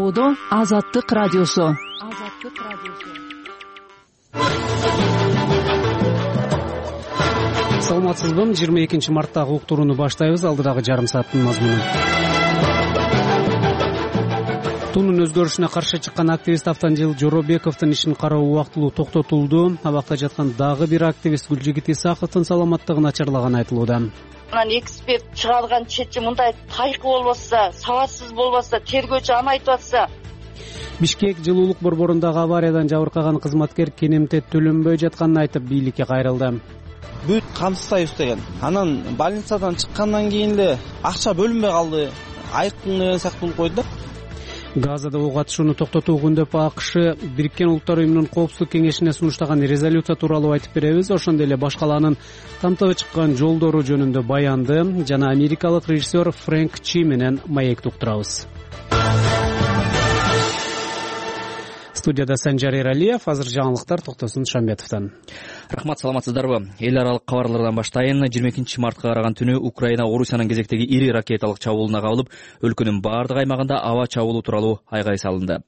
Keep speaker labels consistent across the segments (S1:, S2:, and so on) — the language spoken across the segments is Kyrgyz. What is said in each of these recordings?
S1: Чабуудо Азаттык радиосу.
S2: Саламатсызбы? 22 марттагы уктурууну баштайбыз. Алдыдагы жарым сааттын мазмуну. Тунун өзгөрүшүнө каршы чыккан активист Автандил Жоробековдун ишин кароо убактылуу токтотулду. Абакта жаткан дагы бир активист Гүлжигит Исаховдун саламаттыгы начарлаганы айтылууда.
S3: Анан эксперт чыгарган чечим мындай тайкы болбосо, сабатсыз болбосо, тергөөчү аны айтып атса.
S2: Бишкек жылуулук борборундагы авариядан жабыркаган кызматкер кенемте төлөнбөй жатканын айтып бийликке кайрылды.
S4: Бүт камсызбайбыз деген. Анан больницадан чыккандан кийин эле акча бөлүнбөй калды. Айыктын деген сыяктуу болуп койду да.
S2: Газада ок атышууну токтотуу күндөп АКШ Бириккен Улуттар уюмунун коопсуздук кеңешине сунуштаган резолюция тууралуу айтып беребиз. Ошондой эле башкалаанын тамтыгы чыккан жолдору жөнүндө баянды жана америкалык режиссер Фрэнк Чи менен маекти уктурабыз. Студияда Санжар Эралиев, азыр жаңылыктар Токтосун Шамбетовдон.
S5: Рахмат, саламатсыздарбы? Эл аралык кабарлардан баштайын. 22 мартка караган түнү Украина Орусиянын кезектеги ири ракеталык чабуулуна кабылып, өлкөнүн бардык аймагында аба чабуулу тууралуу айгай салынды.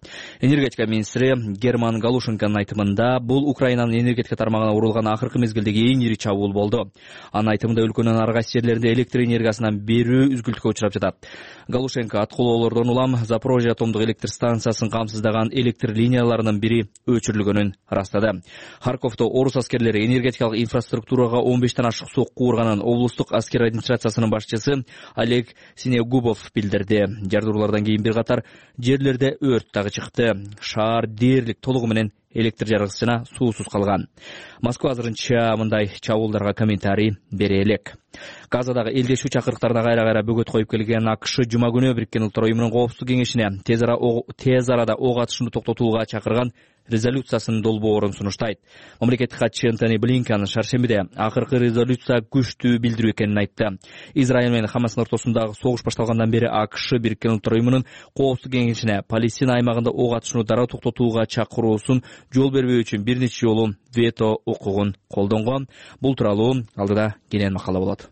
S5: Энергетика министри Герман Галушенконун айтымында бул Украинанын энергетика тармагына урулган акыркы мезгилдеги эң ири чабуул болду. Анын айтымында өлкөнүн ар кайсы жерлеринде электр энергиясынан берүү үзгүлтүккө учурап жатат. Галушенко аткылоолордон улам Запорожье атомдук электр станциясын камсыздаган электр линияларынын бири өчүрүлгөнүн ырастады. Харьковдо орус аскерлери энергетикалык инфраструктурага 15тен ашык сокку урганын облустук аскер администрациясынын башчысы Олег Синегубов билдирди. Жардыруулардан кийин бир катар жерлерде өрт дагы чыкты. Шаар дээрлик толугу менен электр жарыгысы жана суусуз калган. Москва азырынча мындай чабуулдарга комментарий бере элек. Газадагы элдешүү чакырыктарына кайра бөгөт коюп келген АКШ жума күнү Бириккен Улуттар уюмунун коопсуздук кеңешине тез арада ок атышууну токтотууга чакырган резолюциясынын долбоорун сунуштайт. Мамлекеттик катчы Антони Блинкен шаршембиде акыркы резолюция күчтүү билдирүү экенин айтты. Израиль менен Хамастын ортосундагы согуш башталгандан бери АКШ Бириккен Улуттар уюмунун коопсуздук кеңешине Палестина аймагында ок атышууну дароо токтотууга чакыруусун жол бербөө үчүн бир нече жолу вето укугун колдонгон. Бул тууралуу алдыда кенен макала болот.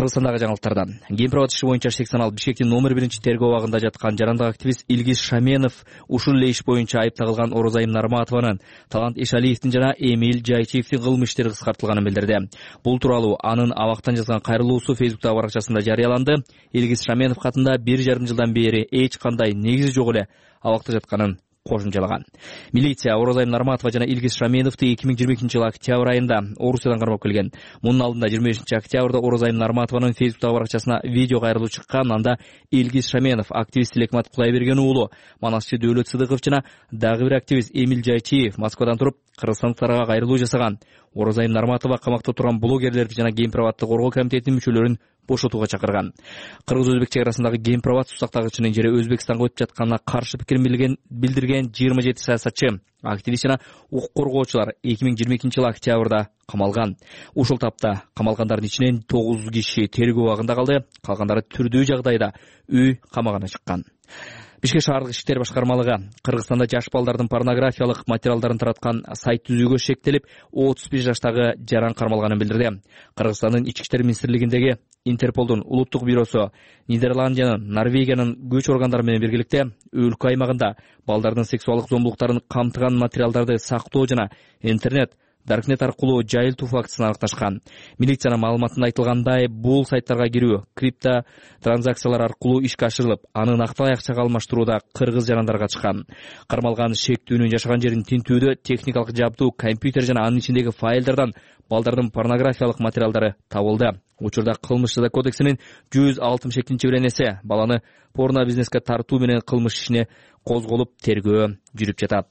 S5: Кыргызстандагы жаңылыктардан. Гемпровод иши боюнча шектен алып Бишкектин номер 1 тергөө абагында жаткан жарандык активист Илгиз Шаменов ушул эле иш боюнча айып тагылган Орозайым Нарматованын, Талант Эшалиевдин жана Эмиль Жайчиевдин кылмыш иштери кыскартылганын билдирди. Бул тууралуу анын абактан жазган кайрылуусу Фейсбуктагы баракчасында жарыяланды. Илгиз Шаменов катында 1,5 жылдан бери эч кандай негизи жок эле абакта жатканын кошумчалаган. Милиция Орозайым Нарматова жана Илгиз Шаменовду 2022 жылы октябрь айында Орусиядан кармап келген. Мунун алдында 25 октябрда Орозайым Нарматованын Фейсбуктагы баракчасына видео кайрылуу чыккан. Анда Илгиз Шаменов, активист Лекмат Кулайберген уулу, Манасчы Дөөлөт Сыдыков жана дагы бир активист Эмиль Жайчиев Москвадан туруп кыргызстандыктарга кайрылуу жасаган. Орозайым Нарматова камакта турган блогерлерди жана Гемпроводду коргоо комитетинин мүчөлөрүн бошотууга чакырган. Кыргыз-өзбек чек арасындагы Гемпровод сусактагычынын жери Өзбекстанга өтүп жатканына каршы пикир билдирген 27 саясатчы, активист жана укук коргоочулар 2022 жылы октябрда камалган. Ушул тапта камалгандардын ичинен 9 киши тергөө абагында калды, калгандары түрдүү жагдайда үй камагына чыккан. Бишкек шаардык иштер башкармалыгы Кыргызстанда жаш балдардын порнографиялык материалдарын тараткан сайт түзүүгө шектелип, 35 жаштагы жаран кармалганын билдирди. Кыргызстандын Ички иштер министрлигиндеги Интерполдун улуттук бюросу Нидерландиянын, Норвегиянын күч органдары менен биргеликте өлкө аймагында балдардын сексуалдык зомбулуктарын камтыган материалдарды сактоо жана интернет, даркнет аркылуу жайылтуу фактысын аныкташкан. Милициянын маалыматында айтылгандай, бул сайттарга кирүү крипто транзакциялар аркылуу ишке ашырылып, аны накталай акчага алмаштырууда кыргыз жарандарга чыккан. Кармалган шектүүнүн жашаган жерин тинтүүдө техникалык жабдуу, компьютер жана анын ичиндеги файлдардан балдардын порнографиялык материалдары табылды. Учурда кылмыш жаза кодексинин 162-беренеси баланы порно бизнеске тартуу менен кылмыш ишине козголуп, тергөө жүрүп жатат.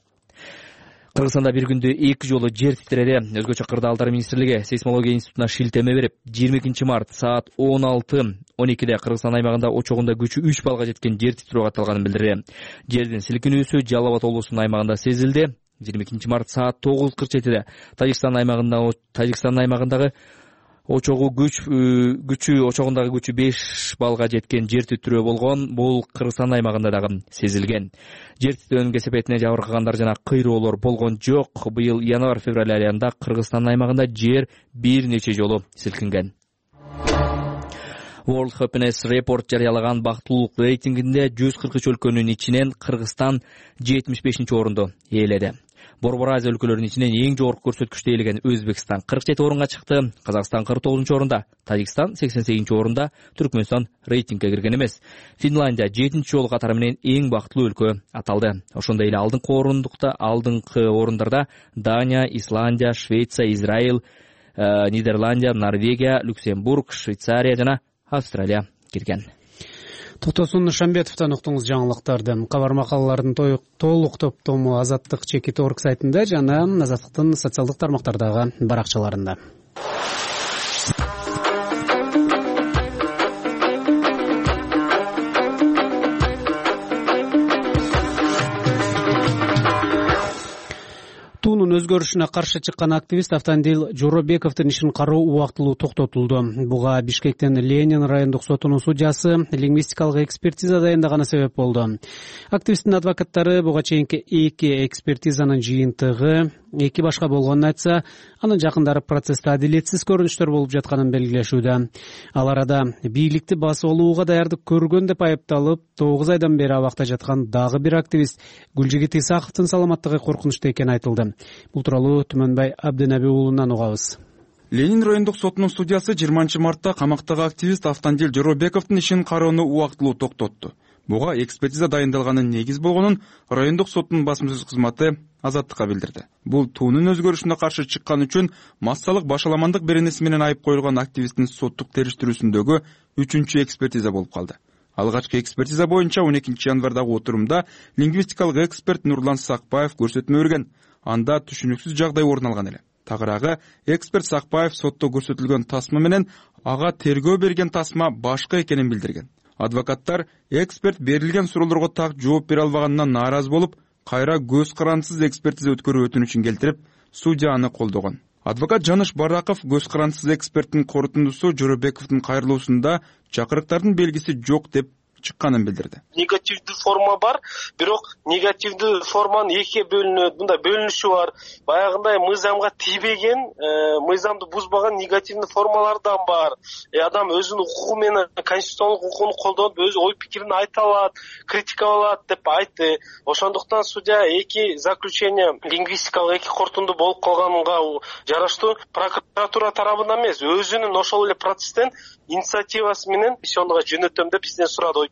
S5: Кыргызстанда бир күндө 2 жолу жер титиреди. Өзгөчө Кырдаалдар министрлиги сейсмология институтуна шилтеме берип, 22 март саат 16:12 Кыргызстан аймагында очогунда күчү 3 балга жеткен жер титирөө катталганын билдирди. Жердин силкинүүсү Жалал Абад облусунун аймагында сезилди. 22 март саат 9:47 Тажикстан аймагындагы очогундагы күчү 5 балга жеткен жер титирөө болгон. Бул Кыргызстан аймагында дагы сезилген. Жер титирөөнүн кесепетине жабыркагандар жана кыйроолор болгон жок. Быйыл январь-февраль айында Кыргызстан аймагында жер бир нече жолу силкинген. World Happiness Report жарыялаган бактылуулук рейтингинде 143 өлкөнүн ичинен Кыргызстан 75 орунду ээледи. Борбор Азия өлкөлөрүнүн ичинен эң жогорку көрсөткүчтү ээлеген Өзбекстан 47 орунга чыкты, Казакстан 49 орунда, Тажикстан 88 орунда, Түркмөнстан рейтингге кирген эмес. Финляндия 7 жолу катары менен эң бактылуу өлкө аталды. Ошондой эле алдыңкы орундарда Дания, Исландия, Швеция, Израиль, Нидерландия, Норвегия, Люксембург, Швейцария жана Австралия кирген.
S2: Токтосун Шамбетовдон уктуңуз жаңылыктарды. Кабар макалалардын толук топтому Азаттык /org сайтында жана Азаттыктын социалдык тармактардагы баракчаларында. Туунун өзгөрүшүнө каршы чыккан активист Автандил Жоробековдун ишин кароо убактылуу токтотулду. Буга Бишкектен Ленин райондук сотунун судьясы лингвистикалык экспертиза дайындаганы себеп болду. Активисттин адвокаттары буга чейинки 2 экспертизанын жыйынтыгы 2 башка болгонун айтса, анын жакындары процессте адилетсиз көрүнүштөр болуп жатканын белгилешүүдө. Ал арада бийликти басып алууга даярдык көргөн деп айыпталып, 9 айдан бери абакта жаткан дагы бир активист Гүлжигит Исаковдун саламаттыгы коркунучта экени айтылды. Бул тууралуу Түмөнбай Абденаби уулунан угабыз.
S6: Ленин райондук сотунун судьясы 20 мартта камактагы активист Автандил Жоробековдун ишин кароону убактылуу токтотту. Буга экспертиза дайындалганын негиз болгонун райондук соттун басма сөз кызматы Азаттыкка билдирди. Бул туунун өзгөрүшүнө каршы чыккан үчүн массалык башаламандык беренеси менен айып коюлган активисттин соттук териштирүүсүндөгү 3-чү экспертиза болуп калды. Алгачкы экспертиза боюнча 12 январдагы отурумда лингвистикалык эксперт Нурлан Сакпаев көрсөтмө берген. Анда түшүнүксүз жагдай орун алган эле. Тагыраагы эксперт Сакпаев сотто көрсөтүлгөн тасма менен ага тергөө берген тасма башка экенин билдирген. Адвокаттар эксперт берилген суроолорго так жооп бере албаганынан нааразы болуп, кайра көз карандысыз экспертиза өткөрүү өтүнүчүн келтирип, судья аны колдогон. Адвокат Жаныш Бараков көз карандысыз эксперттин корутундусу Жоробековдун кайрылуусунда чакырыктардын белгиси жок деп чыкканын билдирди.
S7: Негативдүү форма бар, бирок негативдүү форманын экиге бөлүнөт. Мында бөлүнүшү бар. Баягындай мыйзамга тийбеген, мыйзамды бузбаган негативдүү формалардан бар. Адам өзүнүн укугу менен конституциялык укугун колдонуп, өз ой пикирин айта алат, критикалай алат деп айтты. Ошондуктан судья эки заключение лингвистикалык эки корутунду болуп калганга жараштуу прокуратура тарабынан эмес, өзүнүн ошол эле процесстен инициативасы менен сиондуга жөнөтөм деп бизден сурады.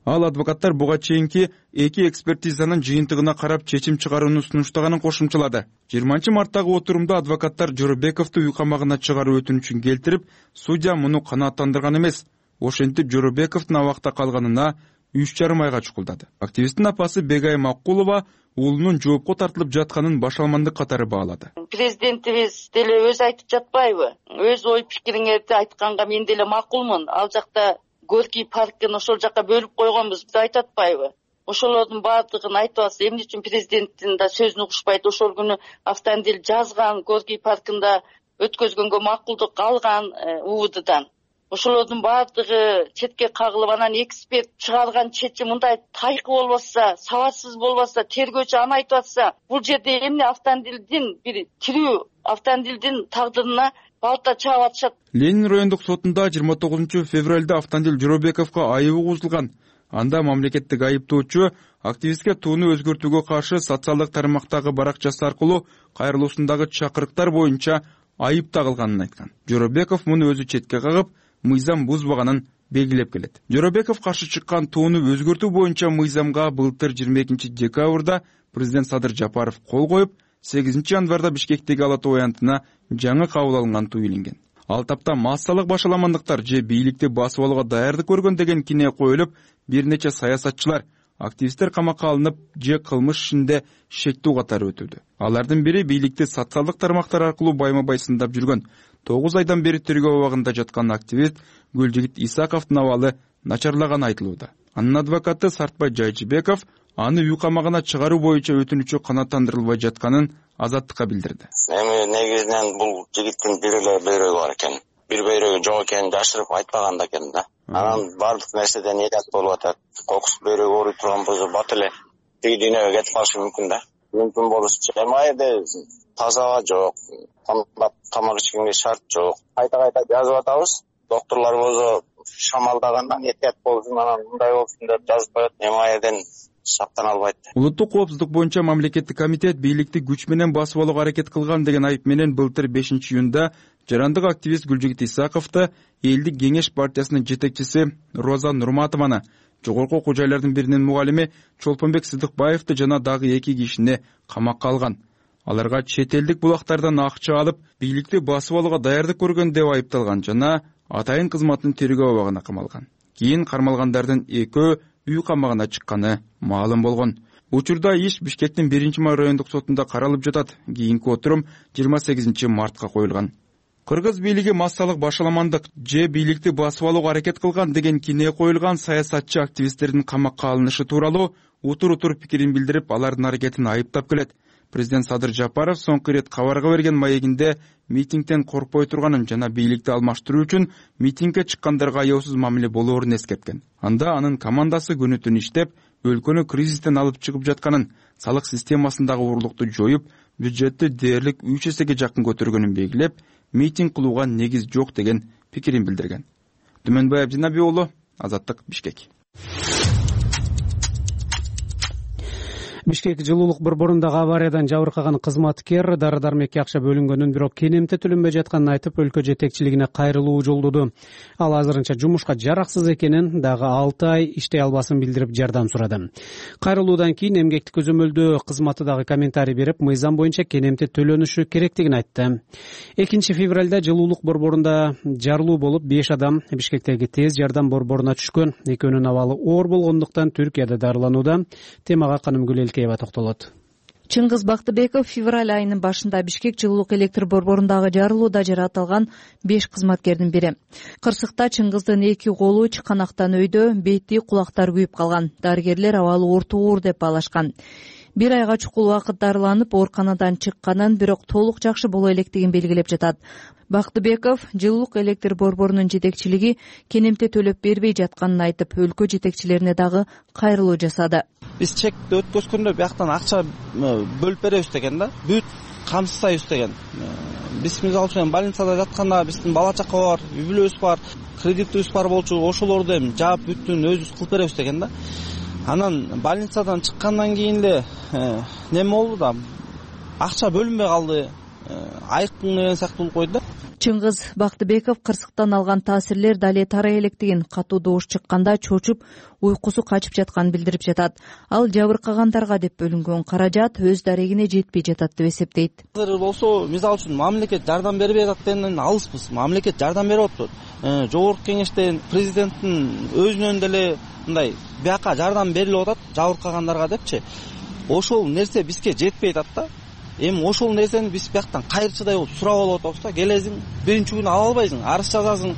S6: Ал адвокаттар буга чейинки 2 экспертизанын жыйынтыгына карап чечим чыгарууну сунуштаганын кошумчалады. 20 марттагы отурумда адвокаттар Жоробековду үй камагына чыгаруу өтүнүчүн келтирип, судья муну канааттандырган эмес. Ошентип Жоробековдун абакта калганына 3,5 айга чукулдады. Активисттин апасы Бегай Макулова уулунун жоопко тартылып жатканын башаламандык катары баалады.
S3: Президентибиз деле өзү айтып жатпайбы? Өз ой пикириңерди айтканга мен деле макулмун. Ал жакта Горький паркын ошол жака бөлүп койгонбуз деп айтып атпайбы? Ошолордун баардыгын айтып атса, эмне үчүн президенттин да сөзүн угушпайт? Ошол күнү Автандил жазган, Горький паркында өткөзгөнгө макулдук алган УВДдан. Ошолордун баардыгы четке кагылып, анан эксперт чыгарган чечим мындай тайкы болбосо, сабатсыз болбосо, тергөөчү аны айтып атса, бул жерде эмне Автандилдин бир тирүү Автандилдин тагдырына балта чаап атышат.
S6: Ленин райондук сотунда 29 февралда Автандил Жоробековго айып угузулган. Анда мамлекеттик айыптоочу активистке тууну өзгөртүүгө каршы социалдык тармактагы баракчасы аркылуу кайрылуусундагы чакырыктар боюнча айып тагылганын айткан. Жоробеков муну өзү четке кагып, мыйзам бузбаганын белгилеп келет. Жоробеков каршы чыккан тууну өзгөртүү боюнча мыйзамга былтыр 22 декабрда президент Садыр Жапаров кол коюп, 8 январда Бишкектеги Ала Тоо аянтына жаңы кабыл алынган туу илинген. Ал тапта массалык башаламандыктар же бийликти басып алууга даярдык көргөн деген кине коюлуп, бир нече саясатчылар, активисттер камакка алынып, же кылмыш ишинде шектүү катары өтүүдө. Алардын бири бийликти социалдык тармактар аркылуу байма-бай сындап жүргөн 9 айдан бери тергөө абагында жаткан активист Гүлжигит Исаковдун абалы начарлаганы айтылууда. Анын адвокаты Сартбай Жайчыбеков аны үй камагына чыгаруу боюнча өтүнүчү канааттандырылбай жатканын Азаттыкка билдирди.
S8: Эми негизинен бул жигиттин бир эле бөйрөгү бар экен. Бир бөйрөгү жок экенин жашырып айтпаган да экен да. Анан бардык нерседен элят болуп атат. Кокус бөйрөгү ооруй турган болсо бат эле тиги дүйнөгө кетип калышы мүмкүн да. Мүмкүн болушучу. Эми айда таза аба жок, тамак ичкенге шарт жок. Кайта жазып атабыз. Докторлор болсо шамалдагандан этият болсун, анан мындай болсун деп жазып коет. Эми ал жерден сактана албайт.
S6: Улуттук коопсуздук боюнча мамлекеттик комитет бийликти күч менен басып алууга аракет кылган деген айып менен былтыр 5-июнда жарандык активист Гүлжигит Исаковду Элдик кеңеш партиясынын жетекчиси Роза Нурматованы, жогорку окуу жайлардын биринин мугалими Чолпонбек Сыдыкбаевди жана дагы 2 кишини камакка алган. Аларга чет элдик булактардан акча алып, бийликти басып алууга даярдык көргөн деп айыпталган жана атайын кызматтын тергөө абагына камалган. Кийин кармалгандардын экөө үй камагына чыкканы маалым болгон. Учурда иш Бишкектин 1-май райондук сотунда каралып жатат. Кийинки отурум 28 мартка коюлган. Кыргыз бийлиги массалык башаламандык же бийликти басып алууга аракет кылган деген кине коюлган саясатчы активисттердин камакка алынышы тууралуу утур пикирин билдирип, алардын аракетин айыптап келет. Президент Садыр Жапаров соңку ирет кабарга берген маегинде митингден коркпой турганын жана бийликти алмаштыруу үчүн митингге чыккандарга аяосуз мамиле болоорун эскерткен. Анда анын командасы күнү-түн иштеп, өлкөнү кризистен алып чыгып жатканын, салык системасындагы урлукту жоюп, бюджетти дээрлик 3 эсеге жакын көтөргөнүн белгилеп, митинг кылууга негиз жок деген пикирин билдирген. Түмөнбай Абдинаби уулу, Азаттык, Бишкек.
S2: Бишкек жылуулук борборундагы авариядан жабыркаган кызматкер дары-дармекке акча бөлүнгөнүн, бирок кенемте төлөнбөй жатканын айтып, өлкө жетекчилигине кайрылуу жолдоду. Ал азырынча жумушка жараксыз экенин, дагы 6 ай иштей албасын билдирип жардам сурады. Кайрылуудан кийин эмгектик көзөмөлдөө кызматы дагы комментарий берип, мыйзам боюнча кенемте төлөнүшү керектигин айтты. 2 февралда жылуулук борборунда жарылуу болуп, 5 адам Бишкектеги тез жардам борборуна түшкөн. Экөөнүн абалы оор болгондуктан Түркияда дарыланууда. Темага Канымгүл токтолот.
S1: Чыңгыз Бактыбеков февраль айынын башында Бишкек жылуулук электр борборундагы жарылууда жаратылган 5 кызматкердин бири. Кырсыкта Чыңгыздын 2 колу чыканактан өйдө, бети, кулактары күйүп калган. Дарыгерлер абалы оор деп баалашкан. 1 айга чукул убакыт дарыланып, ооруканадан чыкканын, бирок толук жакшы боло электигин белгилеп жатат. Бактыбеков жылуулук электр борборунун жетекчилиги кенемте төлөп бербей жатканын айтып, өлкө жетекчилерине дагы кайрылуу жасады.
S4: Биз чекти өткөзгөндө бияктан акча бөлүп беребиз деген да, бүт камсыздайбыз деген. Биз мисалы үчүн больницада жатканда биздин бала чака бар, үй бүлөбүз бар, кредитибиз бар болчу, ошолорду эми жаап бүттүн өзүбүз кылып беребиз деген да. Анан больницадан чыккандан кийин эле неме болду да, акча бөлүнбөй калды, айыктын деген сыяктуу болуп койду да.
S1: Чыңгыз Бактыбеков кырсыктан алган таасирлер дале тарай электигин, катуу добуш чыкканда чочуп, уйкусу качып жатканын билдирип жатат. Ал жабыркагандарга деп бөлүнгөн каражат өз дарегине жетпей жатат деп эсептейт.
S4: Азыр болсо, мисалы үчүн мамлекет жардам бербей жаткандан алыспыз. Мамлекет жардам берип атат. Жогорку кеңештен президенттин өзүнөн деле мындай бияка жардам берилип атат жабыркагандарга депчи. Ошол нерсе бизге жетпей атат да. Эми ошол нерсени биз бияктан кайрчыдай болуп сурап алып атабыз да. Келесиң, биринчи күнү ала албайсың, арыз жазасың,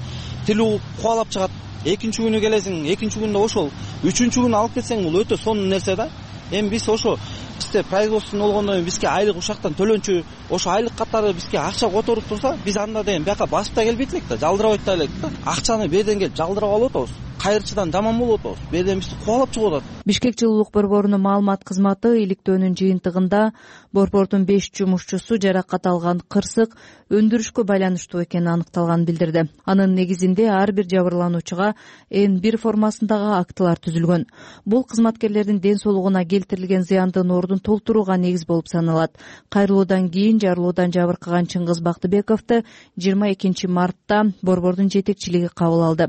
S4: тили кубалап чыгат. Экинчи күнү келесиң, экинчи күндө ошол. Үчүнчү күнү алып кетсең, бул өтө сонун нерсе да. Эми биз ошо бизде производствону болгондон кийин бизге айлык ушактан төлөнчү, ошо айлык катары бизге акча которуп турса, биз анда деген бияка басып да келбейт элек да, жалдырабай да элек да. Акчаны берден келип жалдырап алып атабыз. Кайрчыдан жаман болуп атабыз. Берден бизди кубалап чыгып атат.
S1: Бишкек жылуулук борборунун маалымат кызматы иликтөөнүн жыйынтыгында борбордун 5 жумушчусу жаракат алган кырсык өндүрүшкө байланыштуу экени аныкталганын билдирди. Анын негизинде ар бир жабырлануучуга N1 формасындагы актылар түзүлгөн. Бул кызматкерлердин ден соолугуна келтирилген зыяндын ордун толтурууга негиз болуп саналат. Кайрылуудан кийин жарылуудан жабыркаган Чыңгыз Бактыбековду 22 мартта борбордун жетекчилиги кабыл алды.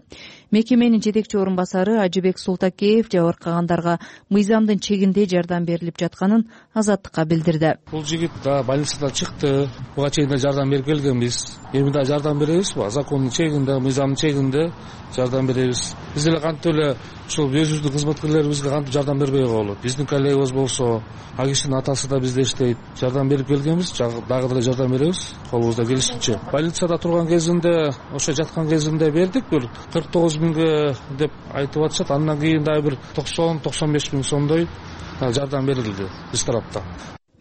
S1: Мекеменин жетекчи орун басары Ажыбек Султакеев жабыркагандарга мыйзамдын чегинде жардам берилип жатканын Азаттыкка билдирди.
S9: Бул жигит да больницадан чыкты, буга чейин да жардам берип келгенбиз. Эми да жардам беребиз, закондун чегинде, мыйзамдын чегинде жардам беребиз. Биз деле кантип эле ушул өзүбүздүн кызматкерлерибизге кантип жардам бербей болот. Биздин коллегабыз болсо, ал кишинин атасы да бизде иштейт. Жардам берип келгенбиз, дагы деле жардам беребиз, колубузда келишинче. Больницада турган кезинде, ошо жаткан кезинде бердик, бир 49 миңге деп айтып атышат. Андан кийин дагы бир 90-95 миң сомдой жардам берилди биз тараптан.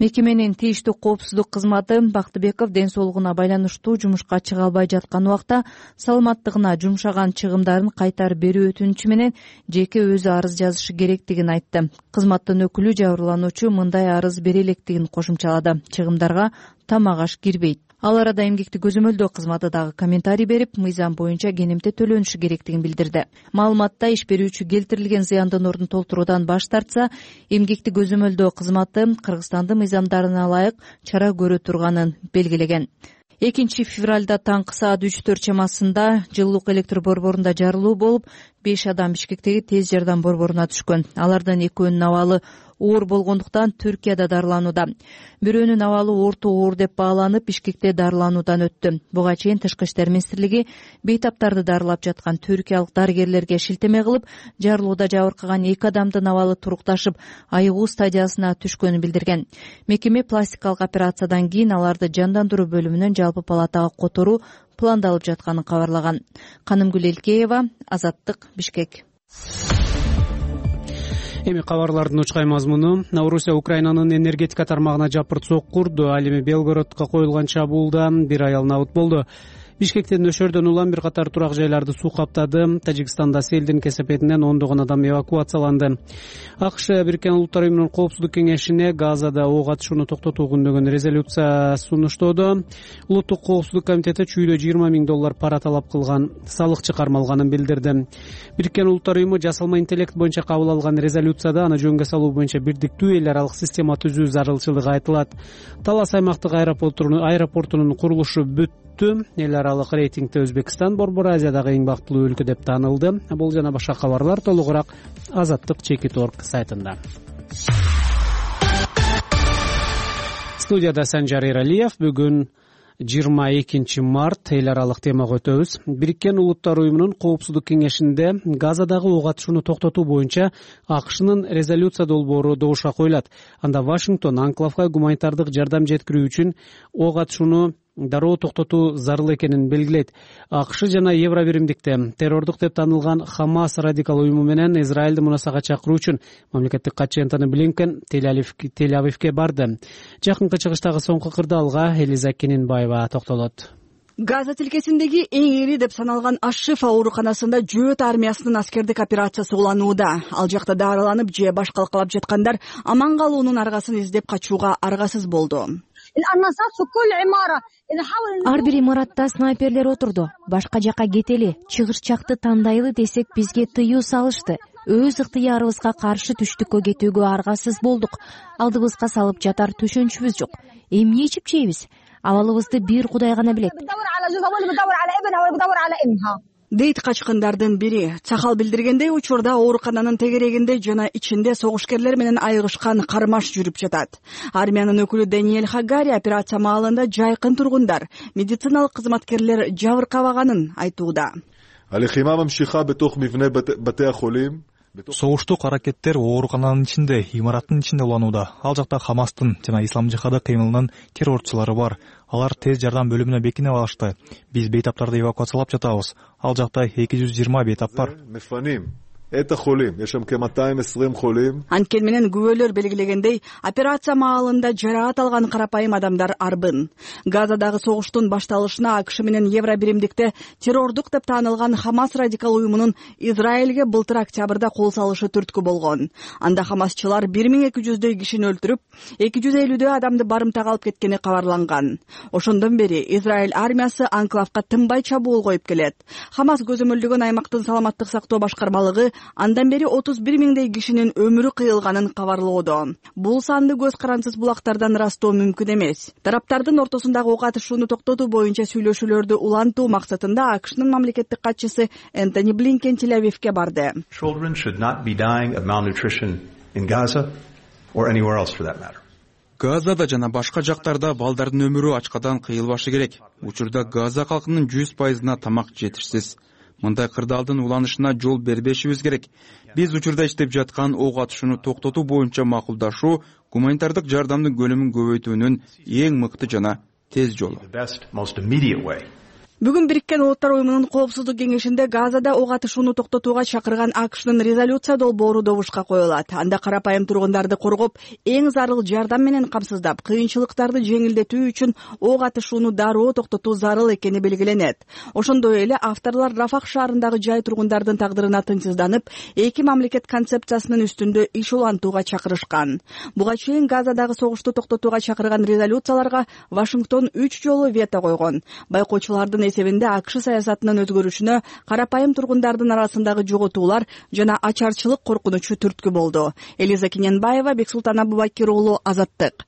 S1: Мекеменин тийиштүү коопсуздук кызматы Бактыбеков ден соолугуна байланыштуу жумушка чыга албай жаткан убакта саламаттыгына жумшаган чыгымдарын кайтарып берүү өтүнүчү менен жеке өзү арыз жазышы керектигин айтты. Кызматтын өкүлү жабырлануучу мындай арыз бере электигин кошумчалады. Чыгымдарга тамак аш кирбейт. Ал арада эмгекти көзөмөлдөө кызматы дагы комментарий берип, мыйзам боюнча кенемте төлөнүшү керектигин билдирди. Маалыматта иш берүүчү келтирилген зыяндын ордун толтуруудан баш тартса, эмгекти көзөмөлдөө кызматы Кыргызстандын мыйзамдарына ылайык чара көрө турганын белгилеген. 2 февралда таңкы саат 3-4 чамасында жылуулук электр борборунда жарылуу болуп, 5 адам Бишкектеги тез жардам борборуна түшкөн. Алардын экөөнүн абалы оор болгондуктан Түркияда дарыланууда. Бирөөнүн абалы орто оор деп бааланып, Бишкекте дарылануудан өттү. Буга чейин Тышкы иштер министрлиги бейтаптарды дарылап жаткан түркиялык дарыгерлерге шилтеме кылып, жарылууда жабыркаган 2 адамдын абалы турукташып, айыгуу стадиясына түшкөнүн билдирген. Мекеме пластикалык операциядан кийин аларды жандандыруу бөлүмүнөн жалпы палатага которуу пландалып жатканын кабарлаган. Канымгүл Элкеева, Азаттык, Бишкек.
S2: Эми кабарлардын учкай мазмуну. Орусия Украинанын энергетика тармагына жапырт сокку урду. Ал эми Белгородко коюлган чабуулда 1 аял набыт болду. Бишкектен нөшөрдөн улам бир катар турак жайларды суу каптады. Тажикстанда селдин кесепетинен ондогон адам эвакуацияланды. АКШ Бириккен Улуттар Уюмунун Коопсуздук кеңешине Газада ок атышууну токтотуу күндөгөн резолюция сунуштоодо. Улуттук коопсуздук комитети чүйдө $20,000 пара талап кылган, салыкчы кармалганын билдирди. Бириккен Улуттар Уюму жасалма интеллект боюнча кабыл алган резолюцияда аны жөнгө салуу боюнча бирдиктүү эл аралык система түзүү зарылчылыгы айтылат. Талас аймактык аэропортунун курулушу бүттү. Эл аралык рейтингде Өзбекстан Борбор Азиядагы эң бактылуу өлкө деп таанылды. Бул жана башка кабарлар толугураак Азаттык.org сайтында. Студияда Санжар Эралиев. Бүгүн 22 март эл аралык темага өтөбүз. Бириккен Улуттар Уюмунун Коопсуздук кеңешинде Газадагы ок атышууну токтотуу боюнча АКШнын резолюция долбоору добушка коюлат. Анда Вашингтон анклавга гуманитардык жардам жеткирүү үчүн ок атышууну дароо токтотуу зарыл экенин белгилейт. АКШ жана Евробиримдикте террордук деп таанылган Хамас радикал уюму менен Израилди мунасага чакыруу үчүн мамлекеттик катчы Антони Блинкен Тель-Авивге барды. Жакынкы чыгыштагы соңку кырдаалга Элиза Кененбаева токтолот.
S10: Газа тилкесиндеги эң ири деп саналган Аш-Шифа ооруканасында жөөт армиясынын аскердик операциясы уланууда. Ал жакта дарыланып же башкалкалап жаткандар аман калуунун аргасын издеп качууга аргасыз болду.
S11: Ар бир имаратта снайперлер отурду. Башка жака кетели, чыгышчакты тандайлы десек бизге тыюу салышты. Өз ыктыярыбызга каршы түштүккө кетүүгө аргасыз болдук. Алдыбызга салып жатар төшөнчүбүз жок. Эмне ичип жейбиз? Абалыбызды бир Кудай гана билет.
S10: Дейт качкындардын бири. Цахал билдиргендей, учурда оорукананын тегерегинде жана ичинде согушкерлер менен айыгышкан кармаш жүрүп жатат. Армиянын өкүлү Даниэль Хагари операция маалында жайкын тургундар, медициналык кызматкерлер жабыркабаганын айтууда.
S12: Согуштук аракеттер оорукананын ичинде, имараттын ичинде уланууда. Ал жакта Хамастын жана Ислам жихады кыймылынын террорчулары бар. Алар тез жардам бөлүмүнө бекинип алышты. Биз бейтаптарды эвакуациялап жатабыз. Ал жакта 220 бейтап бар.
S10: Анткени менен күбөлөр белгилегендей, операция маалында жараат алган карапайым адамдар арбын. Газадагы согуштун башталышына АКШ менен Евробиримдикте террордук деп таанылган Хамас радикал уюмунун Израилге былтыр октябрда кол салышы түрткү болгон. Анда хамасчылар 1200дөй кишини өлтүрүп, 250дөй адамды барымтага алып кеткени кабарланган. Ошондон бери Израиль армиясы анклавга тынбай чабуул коюп келет. Хамас көзөмөлдөгөн аймактын саламаттык сактоо башкармалыгы андан бери 31,000 кишинин өмүрү кыйылганын кабарлоодо. Бул санды көз карансыз булактардан ырастоо мүмкүн эмес. Тараптардын ортосундагы ок атышууну токтотуу боюнча сүйлөшүүлөрдү улантуу максатында АКШнын мамлекеттик катчысы Антони Блинкен Тель-Авивге барды.
S6: Газада жана башка жактарда балдардын өмүрү ачкадан кыйылбашы керек. Учурда Газа калкынын 100%на тамак жетишсиз. Мындай кырдаалдын уланышына жол бербешибиз керек. Биз учурда иштеп жаткан ок атышууну токтотуу боюнча макулдашуу гуманитардык жардамдын көлөмүн көбөйтүүнүн эң мыкты жана тез жолу.
S10: Бүгүн Бириккен Улуттар уюмунун Коопсуздук кеңешинде Газада ок атышууну токтотууга чакырган АКШнын резолюция долбоору добушка коюлат. Анда карапайым тургундарды коргоп, эң зарыл жардам менен камсыздап, кыйынчылыктарды жеңилдетүү үчүн ок атышууну дароо токтотуу зарыл экени белгиленет. Ошондой эле авторлор Рафах шаарындагы жай тургундардын тагдырына тынчсызданып, эки мамлекет концепциясынын үстүндө иш улантууга чакырышкан. Буга чейин Газадагы согушту токтотууга чакырган резолюцияларга Вашингтон 3 жолу вето койгон. Байкоочулардын эсебинде АКШ саясатынын өзгөрүшүнө карапайым тургундардын арасындагы жоготуулар жана ачарчылык коркунучу түрткү болду. Элиза Кененбаева, Бексултан Абубакир уулу, Азаттык.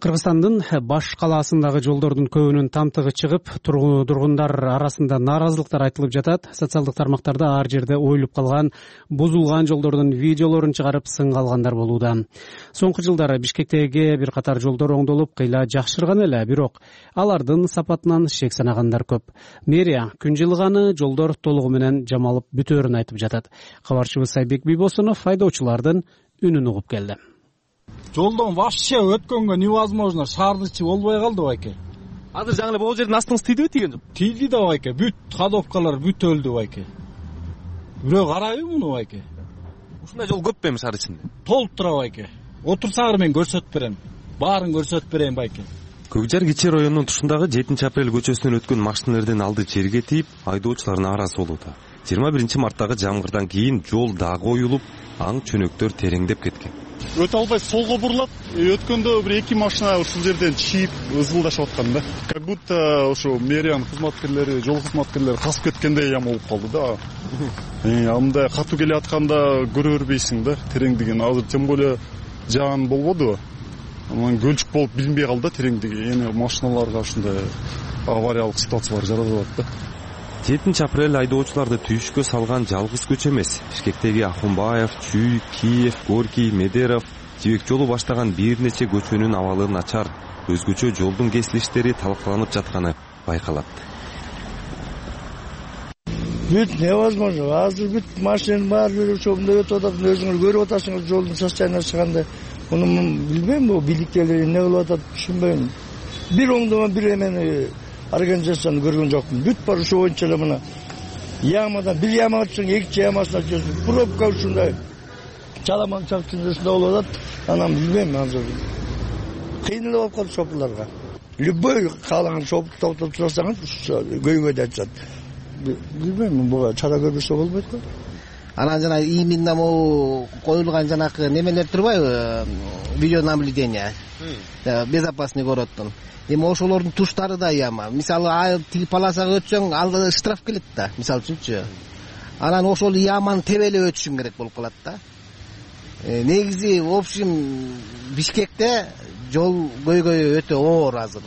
S2: Кыргызстандын баш калаасындагы жолдордун көбүнүн тамтыгы чыгып, тургундар арасында нааразылыктар айтылып жатат. Социалдык тармактарда ар жерде оюлуп калган, бузулган жолдордун видеолорун чыгарып сынга алгандар болууда. Соңку жылдары Бишкектеги бир катар жолдор оңдолуп, кыйла жакшырган эле, бирок алардын сапатынан шек санагандар көп. Мэрия күн жылганы жолдор толугу менен жамалып бүтөөрүн айтып жатат. Кабарчыбыз Айбек Бийбосунов айдоочулардын үнүн угуп келди.
S13: Жолдон вообще өткөнгө невозможно, шаардын ичи болбой калды байке.
S14: Азыр жаңы эле бул жердин астыңыз тийдиби, тийген жок?
S13: Тийди да байке, бүт ходовкалар бүт өлдү байке. Бирөө карайбы муну байке?
S14: Ушундай жол көп эми шаар ичинде?
S13: Толуп тура байке. Отурсаңар мен көрсөтүп берем. Баарын көрсөтүп берем байке.
S14: Көкжар Кичи районунун тушундагы 7-апрель көчөсүнөн өткөн машиналардын алды жерге тийип, айдоочулар нааразы болууда. 21 марттагы жамгырдан кийин жол дагы оюлуп, аң чөнөктөр тереңдеп кеткен.
S15: Өтө албай солго бурулат. Өткөндө бир эки машина ушул жерден чийип ызылдашып аткан да. Как будто ошо мэриянын кызматкерлери, жол кызматкерлери касып кеткендей ям болуп калды да. Анда катуу келе атканда көрө бербейсиң да, тереңдигин. Азыр тем более жаан болбодубу? Анан көлчүк болуп билинбей калды да тереңдиги. Эми машиналарга ушундай авариялык ситуациялар жаралып атат да.
S14: 7-апрель айдоочуларды түйүшкө салган жалгыз көчө эмес. Бишкектеги Ахунбаев, Чүй, Киев, Горький, Медеров, Жибек жолу баштаган бир нече көчөнүн абалы начар, өзгөчө жолдун кесилиштери талкаланып жатканы байкалат.
S16: Бүт невозможно. Азыр бүт машина бар, жүрүшөмдө өтүп атат, өзүңөр көрүп атасыңыз жолдун состояниеси чыкканда. Муну билбейм, бу бийликтегилер эмне кылып атат, түшүнбөйм. Бир оңдомон бир эмени организацияны көргөн жокмун. Бүт бар ошо боюнча эле мына ямадан бир яма өтсөң экинчи ямасына өтөсүң. Пробка ушундай чаламан чакчында болуп атат. Анан билбейм, азыр кыйын эле болуп калды шопурларга. Любой каалаган шоп токтоп турсаңыз көйгөй да айтышат. Билбейм, буга чара көрбөсө болбойт го.
S17: Анан жана именно могу коюлган жанакы немелер турбайбы? Видеонаблюдение. Безопасный городдун. Эми ошолордун туштары да яма. Мисалы, тиги полосага өтсөң, алда штраф келет да, мисалы үчүнчү. Анан ошол яманы тебелеп өтүшүң керек болуп калат да. Негизи, в общем, Бишкекте жол көйгөйү өтө оор азыр.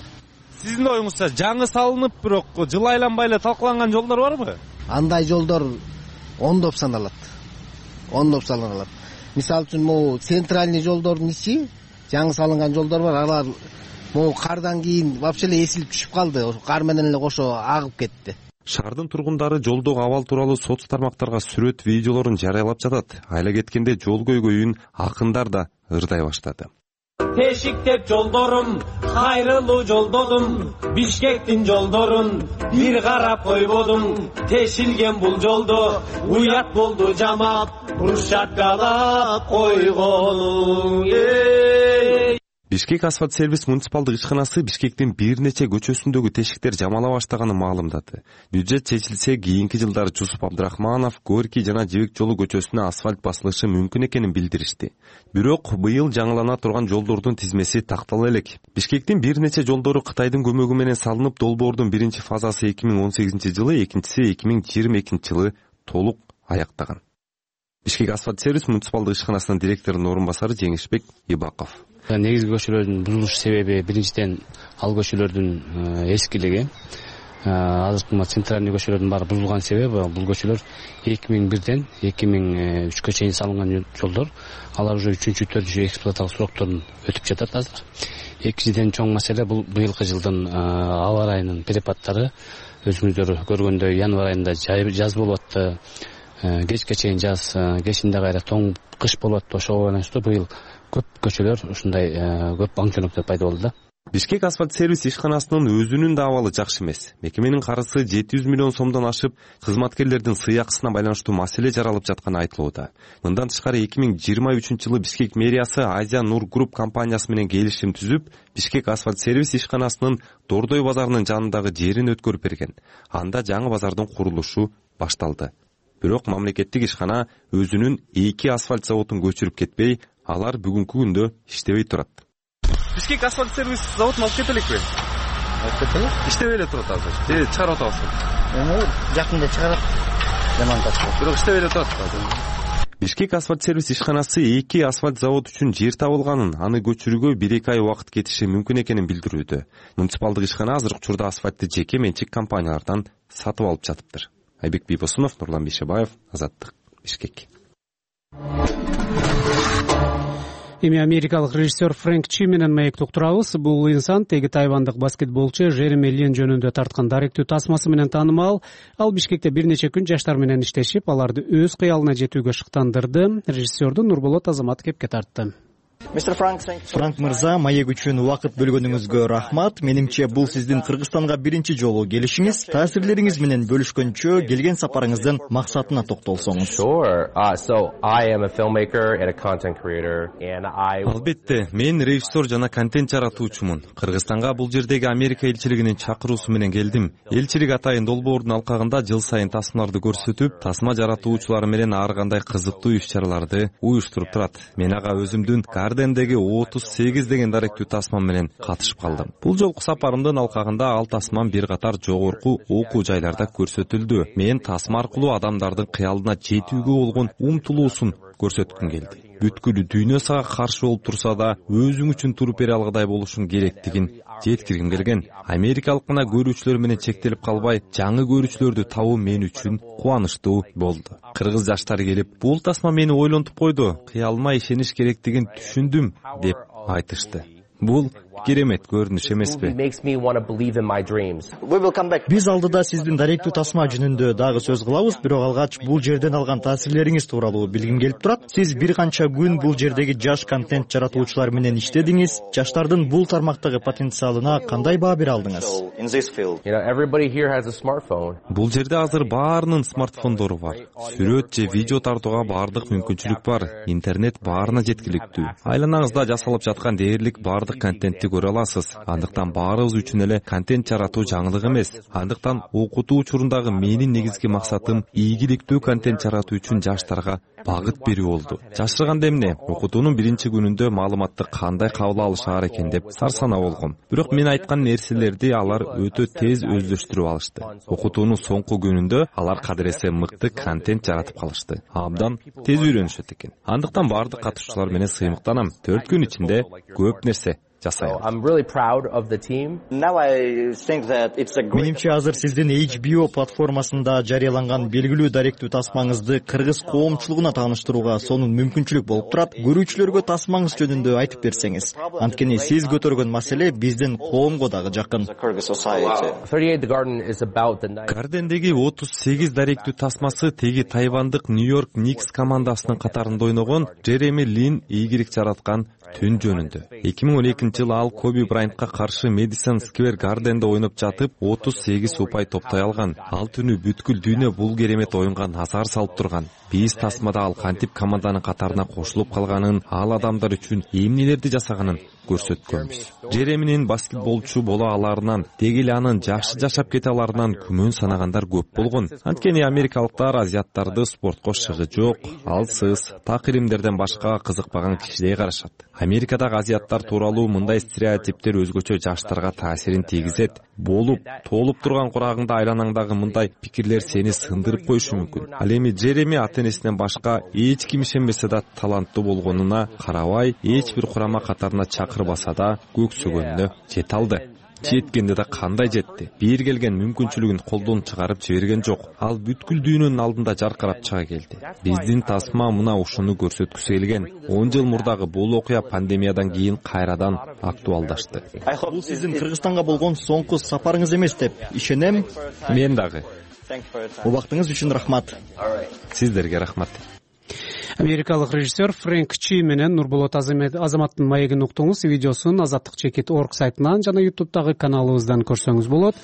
S14: Сиздин оюңузча жаңы салынып, бирок жыл айланбай эле талкаланган жолдор барбы?
S17: Андай жолдор ондоп саналат. Ондоп саналат. Мисалы үчүн, могу центральный жолдордун ичи, жаңы салынган жолдор бар, алар могу кардан кийин вообще эле эсилип түшүп калды. Кар менен эле кошо агып кетти.
S14: Шаардын тургундары жолдогу абал тууралуу соц тармактарга сүрөт, видеолорун жарыялап жатат. Айла кеткенде жол көйгөйүн акындар да ырдай баштады.
S18: Тешиктеп жолдорум, кайрылуу жолдодум, Бишкектин жолдорун бир карап койбодум. Тешилген бул жолдо уят болду жамап, брусчаткалап койгонуң.
S14: Бишкек асфальт сервис муниципалдык ишканасы Бишкектин бир нече көчөсүндөгү тешиктер жамала баштаганын маалымдады. Бюджет чечилсе, кийинки жылдары Жусуп Абдрахманов, Горький жана Жибек жолу көчөсүнө асфальт басылышы мүмкүн экенин билдиришти. Бирок быйыл жаңылана турган жолдордун тизмеси тактала элек. Бишкектин бир нече жолдору Кытайдын көмөгү менен салынып, долбоордун биринчи фазасы 2018 жылы, экинчиси 2022 жылы толук аяктаган. Бишкек асфальт сервис муниципалдык ишканасынын директорунун орун басары Жеңишбек Ибаков.
S19: Негизги көчөлөрдүн бузулуш себеби биринчиден ал көчөлөрдүн эскилиги. Азыркы центральный көчөлөрдүн баары бузулган себеби бул көчөлөр 2001ден 2003кө чейин салынган жолдор. Алар уже 3-4 эксплуатациялык срокторун өтүп жатат азыр. Экинчиден чоң маселе бул быйылкы жылдын аба ырайынын перепадтары. Өзүңүздөр көргөндөй январь айында жаз болуп атты. Кечке чейин жаз, кечинде кайра тоң кыш болуп атты. Ошого байланыштуу быйыл көп көчөлөр ушундай көп аңчылыктар пайда болду да.
S14: Бишкек асфальт сервис ишканасынын өзүнүн да абалы жакшы эмес. Мекеменин карызы 700 миллион сомдон ашып, кызматкерлердин сыйакысына байланыштуу маселе жаралып жатканы айтылууда. Мындан тышкары 2023-жылы Бишкек мэриясы Азия Нур Групп компаниясы менен келишим түзүп, Бишкек асфальт сервис ишканасынын Дордой базарынын жанындагы жерин өткөрүп берген. Анда жаңы базардын курулушу башталды. Бирок мамлекеттик ишкана өзүнүн 2 асфальт заводун көчүрүп кетпей, алар бүгүнкү күндө иштебей турат. Бишкек асфальт сервис заводун алып кетеликпи?
S4: Алып кетели?
S14: Иштебей эле турат азыр. Же чыгарып атабызбы?
S4: Жакында чыгарат. Демонтаж.
S14: Бирок иштебей эле турат. Бишкек асфальт сервис ишканасы 2 асфальт завод үчүн жер табылганын, аны көчүрүүгө 1-2 ай убакыт кетиши мүмкүн экенин билдирүүдө. Муниципалдык ишкана азыркы учурда асфальтты жеке менчик компаниялардан сатып алып жатыптыр. Айбек Бийбосунов, Нурлан Бейшебаев, Азаттык, Бишкек.
S2: Эми америкалык режиссер Фрэнк Чи менен маектеп турабыз. Бул инсан теги тайвандык баскетболчу Жереми Лин жөнүндө тарткан даректүү тасмасы менен таанымал. Ал Бишкекте бир нече күн жаштар менен иштешип, аларды өз кыялына жетүүгө шыктандырды. Режиссерду Нурболот Азамат кепке тартты.
S20: Франк мырза, маек үчүн убакыт бөлгөнүңүзгө рахмат. Менимче бул сиздин Кыргызстанга биринчи жолу келишиңиз. Таасирлериңиз менен бөлүшкөнчө келген сапарыңыздын максатына токтолсоңуз.
S14: Албетте, мен режиссер жана контент жаратуучумун. Кыргызстанга бул жердеги Америка элчилигинин чакыруусу менен келдим. Элчилик Атайын долбоордун алкагында жыл сайын тасмаларды көрсөтүп, тасма жаратуучулары менен ар кандай кызыктуу иш-чараларды уюштуруп турат. Мен ага өзүмдүн Гардендеги 38 деген даректүү тасмам менен катышып калдым. Бул жолку сапарымдын алкагында ал тасмам бир катар жогорку окуу жайларда көрсөтүлдү. Мен тасма аркылуу адамдардын кыялына жетүүгө болгон умтулуусун көрсөткүм келди. Бүткүл дүйнө сага каршы болуп турса да, өзүң үчүн туруп бере алгыдай болушуң керектигин жеткиргим келген. Америкалык гана көрүүчүлөр менен чектелип калбай, жаңы көрүүчүлөрдү табуу мен үчүн кубанычтуу болду. Кыргыз жаштары келип, бул тасма мени ойлонтуп койду, кыялыма ишениш керектигин түшүндүм деп айтышты. Бул керемет көрүнүш эмеспи?
S20: Биз алдыда сиздин даректүү тасма жөнүндө дагы сөз кылабыз, бирок алгач бул жерден алган таасирлериңиз тууралуу билгим келип турат. Сиз бир канча күн бул жердеги жаш контент жаратуучулар менен иштедиңиз. Жаштардын бул тармактагы потенциалына кандай баа бере алдыңыз?
S14: Бул жерде азыр баарынын смартфондору бар. Сүрөт же видео тартууга баардык мүмкүнчүлүк бар. Интернет баарына жеткиликтүү. Айланаңызда жасалып жаткан дээрлик баардык контентти көрө аласыз. Андыктан баарыбыз үчүн эле контент жаратуу жаңылык эмес. Андыктан окутуу учурундагы менин негизги максатым ийгиликтүү контент жаратуу үчүн жаштарга багыт берүү болду. Жашырганда эмне? Окутуунун биринчи күнүндө маалыматты кандай кабыл алышаар экен деп сарсанаа болгом. Бирок мен айткан нерселерди алар өтө тез өздөштүрүп алышты. Окутуунун соңку күнүндө алар кадыресе мыкты контент жаратып калышты. Абдан тез үйрөнүшөт экен. Андыктан баардык катышуучулар менен сыймыктанам. 4 күн ичинде көп нерсе жасайбыз.
S20: Менимче азыр сиздин HBO платформасында жарыяланган белгилүү даректүү тасмаңызды кыргыз коомчулугуна тааныштырууга сонун мүмкүнчүлүк болуп турат. Көрүүчүлөргө тасмаңыз жөнүндө айтып берсеңиз. Анткени сиз көтөргөн маселе биздин коомго дагы жакын.
S14: Гардендеги 38 даректүү тасмасы теги тайвандык Нью-Йорк Никс командасынын катарында ойногон Жереми Лин ийгилик жараткан түн жөнүндө. 2012-жылы ал Коби Брайантка каршы Мэдисон Сквер Гарденде ойноп жатып 38 упай топтой алган. Ал түнү бүткүл дүйнө бул керемет оюнга назар салып турган. Биз тасмада ал кантип команданын катарына кошулуп калганын, ал адамдар үчүн эмнелерди жасаганын көрсөткөнбүз. Жереминин баскетболчу боло аларынан, дегеле анын жакшы жашап кете аларынан күмөн санагандар көп болгон. Анткени америкалыктар азиаттарды спортко шыгы жок, алсыз, так илимдерден башкага кызыкпаган кишидей карашат. Америкадагы азиаттар тууралуу мындай стереотиптер өзгөчө жаштарга таасирин тийгизет. Болуп, толуп турган курагыңда айланаңдагы мындай пикирлер сени сындырып коюшу мүмкүн. Ал эми Жереми ата-энесинен башка эч ким ишенбесе да таланттуу болгонуна карабай, эч бир курама катарына чакырбаса да көксөгөнүнө жете алды. Жеткенде да кандай жетти. Бир келген мүмкүнчүлүгүн колдон чыгарып жиберген жок. Ал бүткүл дүйнөнүн алдында жаркырап чыга келди. Биздин тасма мына ушуну көрсөткүсү келген. 10 жыл мурдагы бул окуя пандемиядан кийин кайрадан актуалдашты.
S20: Бул сиздин Кыргызстанга болгон соңку сапарыңыз эмес деп ишенем.
S14: Мен дагы.
S20: Убактыңыз үчүн рахмат.
S14: Сиздерге рахмат.
S2: Америкалык режиссер Фрэнк Чи менен Нурболот Азаматтын маегин уктуңуз. Видеосун Азаттык.org сайтынан жана YouTube'дагы каналыбыздан көрсөңүз болот.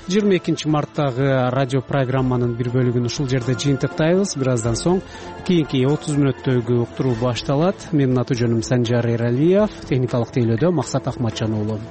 S2: 22 марттагы радио программанын бир бөлүгүн ушул жерде жыйынтыктайбыз. Бир аздан соң кийинки 30 мүнөттөгү уктуруу башталат. Менин аты жөнүм Санжар Эралиев, техникалык тейлөөдө Максат Акматжан уулу.